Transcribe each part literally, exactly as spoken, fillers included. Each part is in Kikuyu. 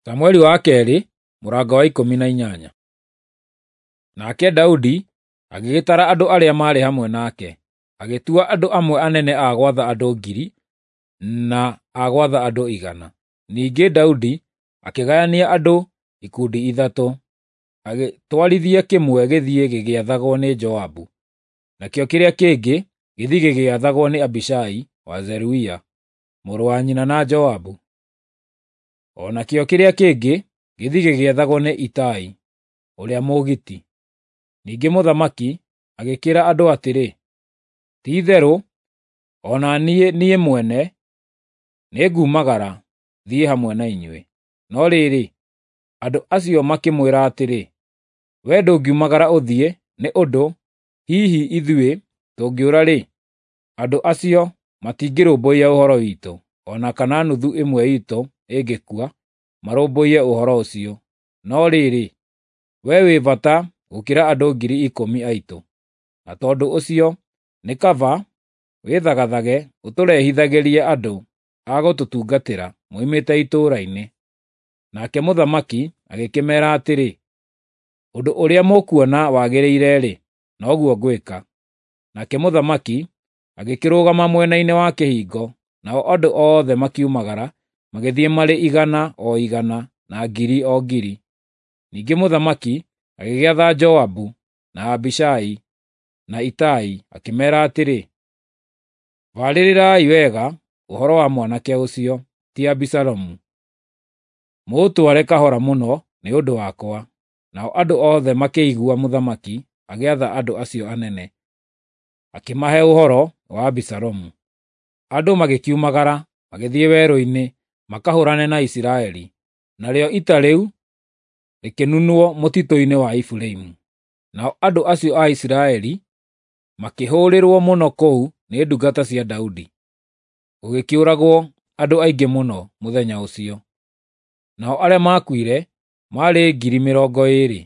Samueli wa kerĩ mũrango wa ikũmi na inyanya. Nake Daudi agĩgĩtara andũ arĩa maarĩ hamwe nake, agĩtua andũ amwe anene a gwatha andũ ngiri na a gwatha andũ igana. Ningĩ Daudi akĩgayania andũ ikundi ithatũ, agĩtwarithia kĩmwe gĩthiĩ gĩgĩathagwo nĩ Joabu, nakĩo kĩrĩa kĩngĩ gĩthiĩ gĩgĩathagwo nĩ Abishai wa Zeruia, mũrũ wa nyina na Joabu, o nakĩo kĩrĩa kĩngĩ gĩthiĩ gĩgĩathagwo nĩ Itai ũrĩa Mũgiti. Ningĩ mũthamaki agĩkĩĩra andũ atĩrĩ, “Ti-itherũ o na niĩ, niĩ mwene nĩngumagara thiĩ hamwe na inyuĩ.” No rĩrĩ, andũ acio makĩmwĩra atĩrĩ, “Wee ndũngiumagara ũthiĩ, nĩ ũndũ hihi ithuĩ tũngĩũra-rĩ, andũ acio matingĩrũmbũiya ũhoro witũ, o na kana nuthu ĩmwe iitũ ĩngĩkua, marũmbũiye ũhoro ũcio. No rĩrĩ, wee wĩ bata gũkĩra andũ ngiri ikũmi aitũ, na tondũ ũcio nĩ kaba wĩthagathage ũtũrehithagĩrie andũ a gũtũtungatĩra moimĩte itũũra-inĩ.” Nake mũthamaki agĩkĩmeera atĩrĩ, “Ũndũ ũrĩa mũkuona wagĩrĩire-rĩ, noguo ngwĩka.” Nake mũthamaki agĩkĩrũgama mwena-inĩ wa kĩhingo, nao andũ othe makiumagara magĩthiĩ marĩ igana o igana na ngiri o ngiri. Ningĩ mũthamaki agĩgĩatha Joabu na Abishai na Itai, akĩmeera atĩrĩ, “Barĩrĩrai wega ũhoro wa mwanake ũcio, ti Abisalomu, mũũtware kahora mũno nĩ ũndũ wakwa.” Nao andũ othe makĩigua mũthamaki agĩatha andũ acio anene, akĩmahe ũhoro wa Abisalomu. Andũ magĩkiumagara magĩthiĩ werũ-inĩ makahũũrane na Isiraeli, narĩo ita rĩu rĩkĩnunwo mũtitũ-inĩ wa Efiraimu. Nao andũ acio a Isiraeli makĩhũũrĩrwo mũno kũu nĩ ndungata cia Daudi, gũgĩkĩũragwo andũ aingĩ mũno mũthenya ũcio. Nao arĩa maakuire maarĩ ngiri mĩrongo ĩĩrĩ,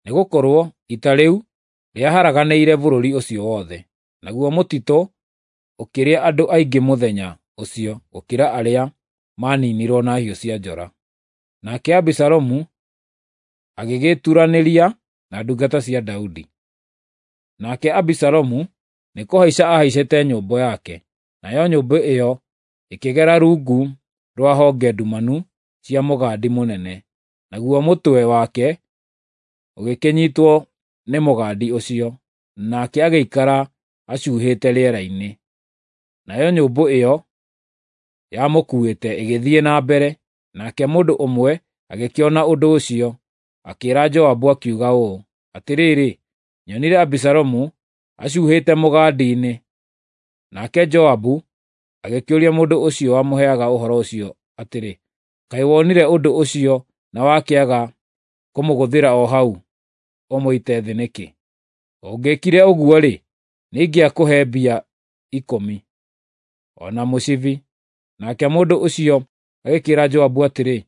nĩgũkorwo ita rĩu rĩaharaganĩire bũrũri ũcio wothe, naguo mũtitũ ũkĩrĩa andũ aingĩ mũthenya ũcio gũkĩra arĩa maaniinirwo na hiũ cia njora. Nake Abisalomu agĩgĩturanĩria na ndungata cia Daudi. Nake Abisalomu nĩkũhaica aahaicĩte nyũmbũ yake, nayo nyũmbũ ĩyo ĩkĩgera rungu rwa honge ndumanu cia mũgandi mũnene, naguo mũtwe wake ũgĩkĩnyiitwo nĩ mũgandi ũcio, nake agĩikara acuhĩte rĩera-inĩ. Nayo nyũmbũ ĩyo yamũkuuĩte ĩgĩthiĩ na mbere, nake mũndũ ũmwe agĩkĩona ũndũ ũcio, akĩĩra Joabu akiuga ũũ, “Atĩrĩrĩ, nyonire Abisalomu acuhĩte mũgandi-inĩ.” Nake Joabu agĩkĩũria mũndũ ũcio wamũheaga ũhoro ũcio atĩrĩ, “Kaĩ wonire ũndũ ũcio na wakĩaga kũmũgũthĩra o hau ũmũite thĩ nĩkĩ? Ũngĩĩkire ũguo-rĩ, nĩingĩakũhe mbia ikũmi, o na mũcibi.” Nake mũndũ ũcio agĩkĩĩra Joabu atĩrĩ,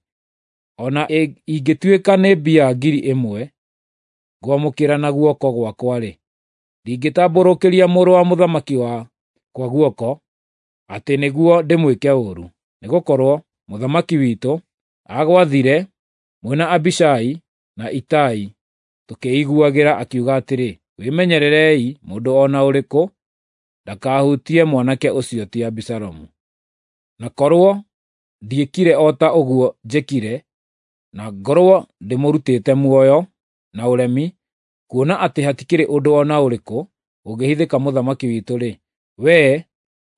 “O na ingĩtuĩka nĩ mbia ngiri ĩmwe ngwamũkĩra na guoko gwakwa-rĩ, ndingĩtambũrũkĩria mũrũ wa mũthamaki wakwa guoko atĩ nĩguo ndĩmwĩke ũũru, nĩgũkorwo mũthamaki witũ aagwathire mwĩ na Abishai na Itai tũkĩĩiguagĩra akiuga atĩrĩ, ‘Wĩmenyererei mũndũ o na ũrĩkũ ndakahutie mwanake ũcio ti Abisalomu.’ Na korwo ndiĩkire o ta ũguo njĩkire, na ngorwo ndĩmũrutĩte muoyo na ũremi, kuona atĩ hatikĩrĩ ũndũ o na ũrĩkũ ũngĩhithĩka mũthamaki witũ-rĩ, wee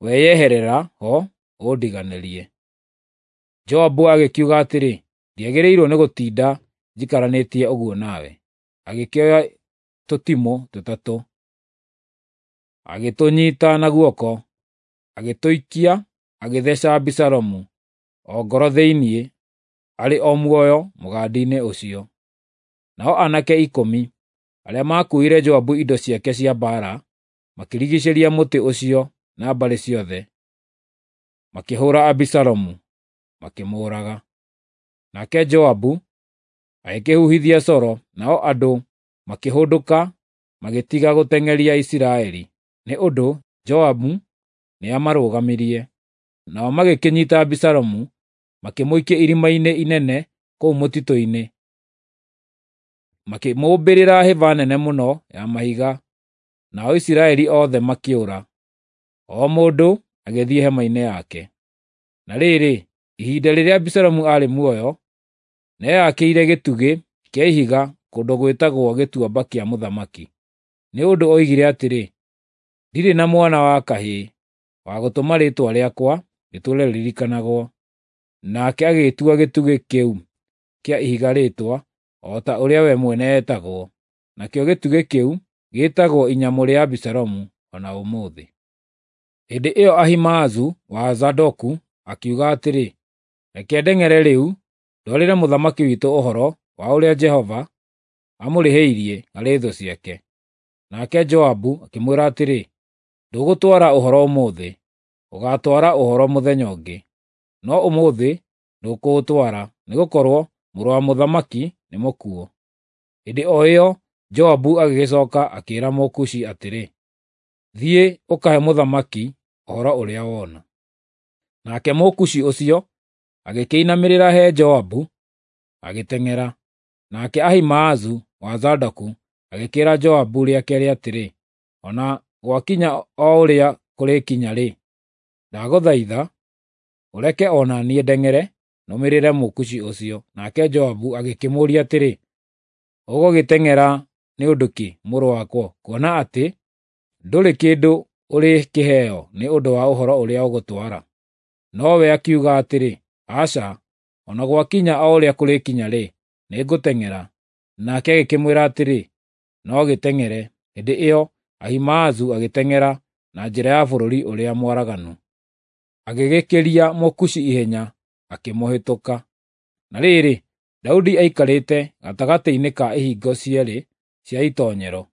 weyeherera ho ũndiganĩrie.” Joabu agĩkiuga atĩrĩ, “Ndiagĩrĩirwo nĩ gũtinda njikaranĩtie ũguo nawe.” Agĩkĩoya tũtimũ tũtatũ, agĩtũnyiita na guoko, agĩtũikia agĩtheeca Abisalomu o ngoro thĩinĩ arĩ o muoyo mũgandi-inĩ ũcio. Nao aanake ikũmi arĩa maakuuĩire Joabu indo ciake cia mbaara makĩrigiicĩria mũtĩ ũcio na mbarĩ ciothe, makĩhũũra Abisalomu, makĩmũũraga. Nake Joabu agĩkĩhuhithia coro, nao andũ makĩhũndũka magĩtiga gũteng'eria Isiraeli, nĩ ũndũ Joabu nĩamarũgamirie. Nao magĩkĩnyiita Abisalomu, makĩmũikia irima-inĩ inene kũu mũtitũ-inĩ, makĩmũmbĩrĩra hĩba nene mũno ya mahiga, nao Isiraeli othe makĩũra, o mũndũ agĩthiĩ hema-inĩ yake. Na rĩrĩ, ihinda rĩrĩa Abisalomu aarĩ muoyo, nĩeyakĩire gĩtugĩ kĩa ihiga kũndũ gwĩtagwo Gĩtuamba kĩa Mũthamaki, nĩ ũndũ oigire atĩrĩ, “Ndirĩ na mwana wa kahĩĩ wa gũtũma rĩĩtwa rĩakwa rĩtũũre rĩririkanagwo.” Nake agĩtua gĩtugĩ kĩu kĩa ihiga rĩĩtwa o ta ũrĩa we mwene etagwo. Nakĩo gĩtugĩ kĩu gĩĩtagwo Inyamũ rĩa Abisalomu o na ũmũthĩ. Hĩndĩ ĩyo Ahimaazu wa Zadoku akiuga atĩrĩ, “Reke ndeng'ere rĩu ndwarĩre mũthamaki witũ ũhoro wa ũrĩa Jehova amũrĩhĩirie harĩ thũ ciake.” Nake Joabu akĩmwĩra atĩrĩ, “Ndũgũtwara ũhoro ũmũthĩ, ũgaatwara ũhoro mũthenya ũngĩ. No ũmũthĩ ndũkũũtwara, nĩgũkorwo mũrũ wa mũthamaki nĩ mũkuũ.” Hĩndĩ o ĩyo Joabu agĩgĩcooka akĩĩra Mũkushi atĩrĩ, “Thiĩ ũkahe mũthamaki ũhoro ũrĩa wona.” Nake Mũkushi ũcio agĩkĩinamĩrĩra he Joabu, agĩteng'era. Nake Ahimaazu wa Zadoku agĩkĩĩra Joabu rĩa keerĩ atĩrĩ, “O na gwakinya o ũrĩa kũrĩkinya-rĩ, ndagũthaitha ũreke o na niĩ ndeng'ere nũmĩrĩre Mũkushi ũcio.” Nake Joabu agĩkĩmũũria atĩrĩ, “Ũgũgĩteng'era nĩ ũndũ kĩ, mũrũ wakwa, kuona atĩ ndũrĩ kĩndũ ũrĩkĩheo nĩ ũndũ wa ũhoro ũrĩa ũgũtwara?” Nowe akiuga atĩrĩ, “Aca, o na gwakinya o ũrĩa kũrĩkinya-rĩ, nĩngũteng'era.” Nake agĩkĩmwĩra atĩrĩ, “No gĩteng'ere.” Hĩndĩ ĩyo Ahimaazu agĩteng'era na njĩra ya bũrũri ũrĩa mwaraganu, agĩgĩkĩria Mũkushi ihenya, akĩmũhĩtũka. Na rĩrĩ, Daudi aikarĩte gatagatĩ-inĩ ka ihingo cierĩ cia itoonyero,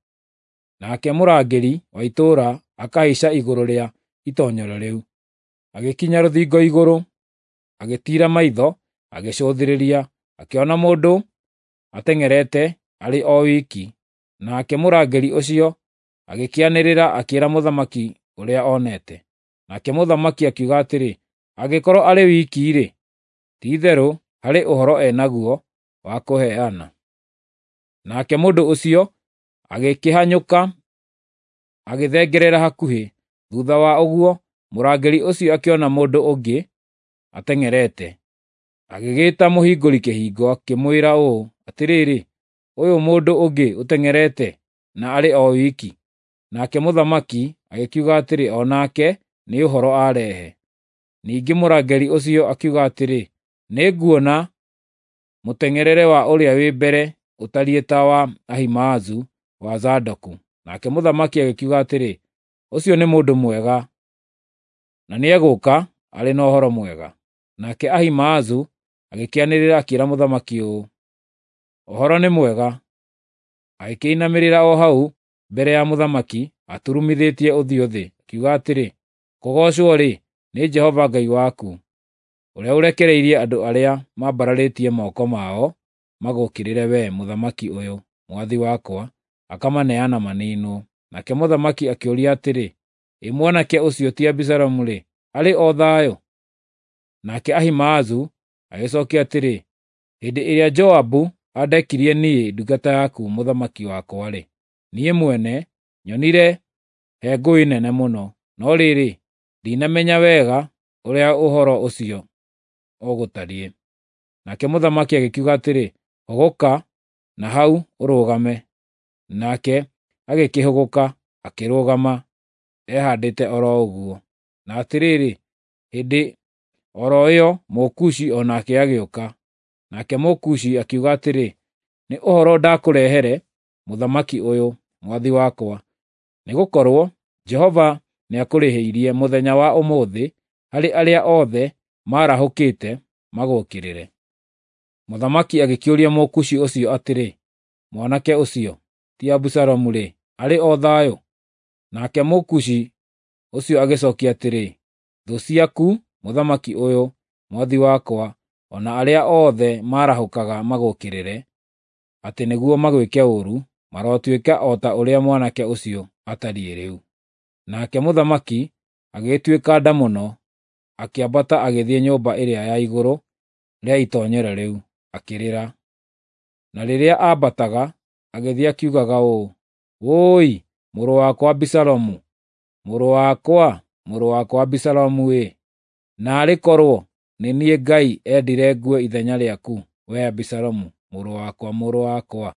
nake mũrangĩri wa itũũra akahaica igũrũ rĩa itoonyero rĩu. Agĩkinya rũthingo igũrũ, agĩtiira maitho, agĩcũthĩrĩria, akĩona mũndũ ateng'erete arĩ o wiki. Nake mũrangĩri ũcio agĩkĩanĩrĩra akĩĩra mũthamaki ũrĩa onete. Nake mũthamaki akiuga atĩrĩ, “Angĩkorwo arĩ wiki-rĩ, ti-itherũ harĩ ũhoro e naguo wa kũheana.” Nake mũndũ ũcio agĩkĩhanyũka agĩthengerera hakuhĩ. Thuutha wa ũguo mũrangĩri ũcio akĩona mũndũ ũngĩ ateng'erete, agĩgĩĩta mũhingũri kĩhingo akĩmwĩra ũũ, “Atĩrĩrĩ, ũyũ mũndũ ũngĩ ũteng'erete na arĩ o wiki.” Nake mũthamaki agĩkiuga atĩrĩ, “O nake nĩ ũhoro arehe.” Ningĩ mũrangĩri ũcio akiuga atĩrĩ, “Nĩnguona mũteng'erere wa ũrĩa wĩ mbere ũtariĩ ta wa Ahimaazu wa Zadoku.” Nake mũthamaki agĩkiuga atĩrĩ, “Ũcio nĩ mũndũ mwega, na nĩegũũka arĩ na ũhoro mwega.” Nake Ahimaazu agĩkĩanĩrĩra akĩĩra mũthamaki ũũ, “Ũhoro nĩ mwega.” Agĩkĩinamĩrĩra o hau mbere ya mũthamaki aturumithĩtie ũthiũ thĩ, akiuga atĩrĩ, “Kũgoocwo-rĩ, nĩ Jehova Ngai waku, ũrĩa ũrekereirie andũ arĩa mambararĩtie moko mao magũũkĩrĩre wee, mũthamaki ũyũ, mwathi wakwa, akamaneana maniinwo.” Nake mũthamaki akĩũria atĩrĩ, “Ĩ mwanake ũcio ti Abisalomu-rĩ, arĩ o thayũ?” Nake Ahimaazu agĩcookia atĩrĩ, “Hĩndĩ ĩrĩa Joabu andekirie niĩ ndungata yaku mũthamaki wakwa-rĩ, niĩ mwene nyonire he ngũĩ nene mũno, no rĩrĩ, ndinamenya wega ũrĩa ũhoro ũcio ũgũtariĩ.” Nake mũthamaki agĩkiuga atĩrĩ, “Hũgũka na hau ũrũgame.” Nake agĩkĩhũgũka akĩrũgama ehaandĩte o ro ũguo. Na atĩrĩrĩ, hĩndĩ o ro ĩyo Mũkushi o nake agĩũka. Nake Mũkushi akiuga atĩrĩ, “Nĩ ũhoro ndakũrehere, mũthamaki ũyũ, mwathi wakwa, nĩgũkorwo Jehova nĩakũrĩhĩirie mũthenya wa ũmũthĩ harĩ arĩa othe maarahũkĩte magũũkĩrĩre.” Mũthamaki agĩkĩũria Mũkushi ũcio atĩrĩ, “Mwanake ũcio ti Abisalomu-rĩ, arĩ o thayũ?” Nake Mũkushi ũcio agĩcookia atĩrĩ, “Thũ ciaku, mũthamaki ũyũ, mwathi wakwa, o na arĩa othe maarahũkaga magũũkĩrĩre atĩ nĩguo magwĩke ũũru, marotuĩka o ta ũrĩa mwanake ũcio atariĩ rĩu.” Nake mũthamaki agĩgĩtuĩka nda mũno, akĩambata agĩthiĩ nyũmba ĩrĩa ya igũrũ. rĩa itoonyero rĩu, akĩrĩra. Na rĩrĩa aambataga, agĩthiĩ akiugaga ũũ, “Wũi, mũrũ wakwa Abisalomu! Mũrũ wakwa, mũrũ wakwa Abisalomu-ĩ! Naarĩ korwo nĩ niĩ Ngai endire ngue ithenya rĩaku, wee Abisalomu, mũrũ wakwa, mũrũ wakwa!”